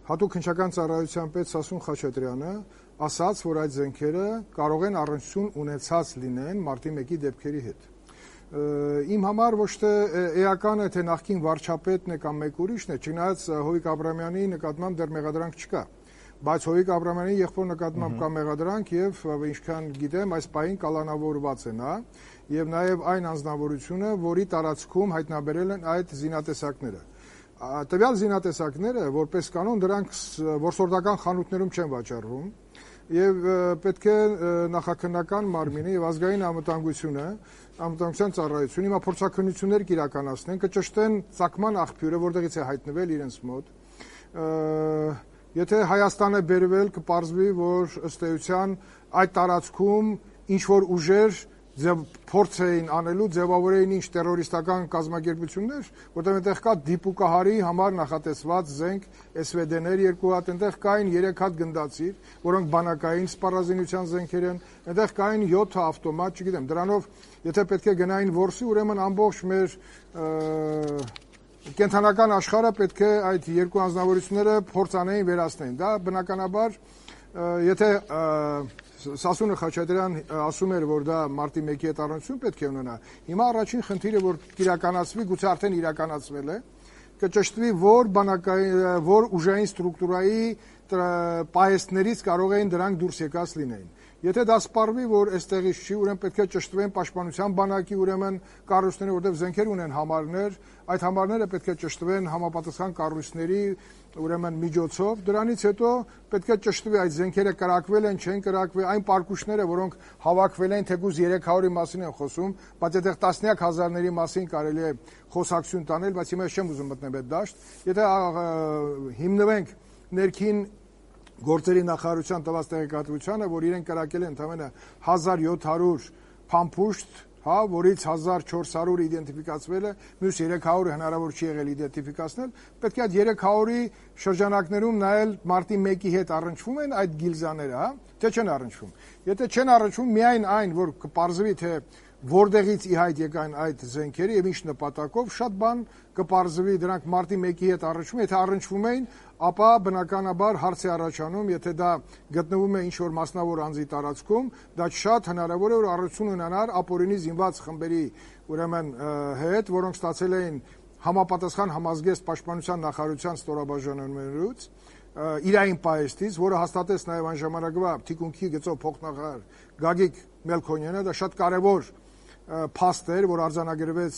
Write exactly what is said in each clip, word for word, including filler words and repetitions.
հատուկ քննչական ծառայության պետ Սասուն Խաչատրյանը ասաց, որ այդ զենքերը կարող են առնչություն ունեցած լինեն մարտի մեկի դեպքերի հետ։ Իմ համար ոչ թե էական է, թե նախկին վարչապետն է կամ մեկ ուրիշն է, չնայած Հովիկ Աբրամյանի նկատմամբ դեռ մեղադրանք չկա, բայց Հովիկ Աբրամյանի եղբոր նկատմամբ կա մեղադրանք եւ ինչքան գիտեմ, այս պահին կալանավորված է նա եւ նաեւ այն անձնավորությունը, որի տարածքում հայտնաբերել են այդ զինատեսակները։ Տվյալ զինատեսակները, որպես կանոն, դրանք որսորդական խանութներում չեն վաճառվում եւ պետք է նախաքննական մարմինը եւ ազգային անվտանգությունը, անվտանգության ծառայությունը հիմա փորձաքննություններ կիրականացնեն, կճշտեն ծագման աղբյուրը, որտեղից է հայտնվել իրենց մոտ։ Եթե Հայաստան է բերվել, կպարզվի, որ ըստ էության այդ տարածքում ինչ որ ուժեր փորձ էին անելու, ձևավորեին ինչ տերորիստական կազմակերպություններ, որտեղ այնտեղ կա դիպուկահարի համար նախատեսված զենք էս վե դե-ներ երկու հատ, այնտեղ կային երեք հատ գնդացիր, որոնք բանակային սպառազինության զենքեր են, այնտեղ կային յոթ ավտոմատ, չգիտեմ, դրանով եթե պետք է գնային որսի, ուրեմն ամբողջ մեր կենթանական աշխարհը պետք է այդ երկու անձնավորությունները փորձանային վերացնեն։ Դա բնականաբար, եթե Սասունը Խաչատրյան ասում էր, որ դա մարտի մեկի հետ առնչություն պետք է ունենա, հիմա առաջին խնդիրը, որ իրականացվի, գուցե արդեն իրականացվել է, կճշտվի, որ բանակային, որ ուժային ստրուկտուրայի պահեստներից կարող էին դրանք դուրս եկած լինեին։ Եթե դա սպառվի, որ այստեղից չի, ուրեմն պետք է ճշտվեն պաշտպանության բանակի ուրեմն կառույցները, որտեղ զենքեր ունեն համարներ, այդ համարները պետք է ճշտվեն համապատասխան կառույցների ուրեմն միջոցով, դրանից հետո պետք է ճշտվի այդ զենքերը կրակվել են, չեն կրակվել, այն պարկուշները, որոնք հավաքվել են, թեկուզ երեք հարյուրի մասին են խոսում, բայց այդտեղ տասնյակ հազարների մասին կարելի է խոսակցություն տանել, բայց հիմա չեմ ուզում մտնել այդ դաշտ։ Եթե հիմնվենք ներքին գործերի նախարարության տված տեղեկատվությանը, որ իրեն կրակել են ընդամենը հազար յոթ հարյուր փամփուշտ, հա, որից հազար չորս հարյուրը իդենտիֆիկացվել է, մյուս երեք հարյուրը հնարավոր չի եղել իդենտիֆիկացնել, պետք է այդ երեք հարյուրի շրջանակներում նայել մարտի մեկի հետ առնչվում են այդ գիլզաները, հա, թե չեն առնչվում։ Եթե չեն առնչվում, միայն այն, որ կպարզվի, թե որտեղից ի հայտ եկան այդ զենքերը եւ ինչ նպատակով, շատ բան կպարզվի, դրանք մարտի մեկի հետ առնչվում, եթե առնչվում էին, ապա բնականաբար հարց է առաջանում, եթե դա գտնվում է ինչ-որ մասնավոր անձի տարածքում, դա շատ հնարավոր է, որ առնչություն ունենար ապօրինի զինված խմբերի ուրեմն հետ, որոնք ստացել էին համապատասխան համազգեստ պաշտպանության նախարարության ստորաբաժանումներից, իրային պահեստից, որը հաստատեց նաև այն ժամանակվա թիկունքի գծով փոխնախարար Գագիկ Մելքոնյանը, դա շատ կարևոր փաստ էր, որ արձանագրվեց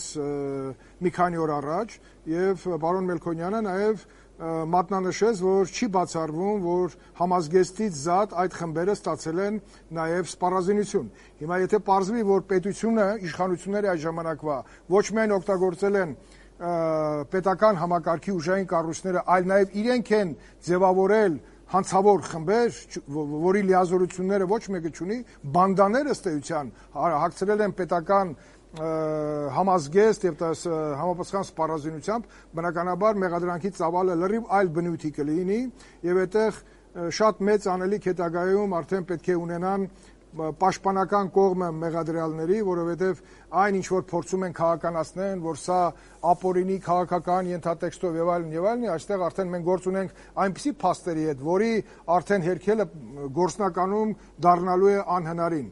մի քանի օր առաջ, եւ պարոն Մելքոնյանը նաև մատնանշեց, որ չի բացառվում, որ համազգեստից զատ այդ խմբերը ստացել են նաև սպառազինություն։ Հիմա եթե պարզվի, որ պետությունը, իշխանությունները այդ ժամանակվա ոչ միայն օգտագործել են պետական համակարգի ուժային կառույցները, այլ նաև իրենք են ձևավորել հանցավոր խմբեր, որի լիազորությունները ոչ մեկը չունի, բանդաները ըստ էության հագցրել են պետական համազգեստ եւ համապատասխան սպառազինությամբ, բնականաբար մեղադրանքի ծավալը լրիվ այլ բնույթի կլինի եւ այդտեղ շատ մեծ անելիք հետագայում արդեն պետք է ունենան պաշտպանական կողմը մեղադրյալների, որովհետև այն ինչ որ փորձում են քաղաքականացնել, որ սա ապօրինի քաղաքական ենթատեքստով եւ այլն եւ այլն, այստեղ արդեն մենք գործ ունենք այնպիսի փաստերի հետ, որի արդեն հերքելը գործնականում դառնալու է անհնարին։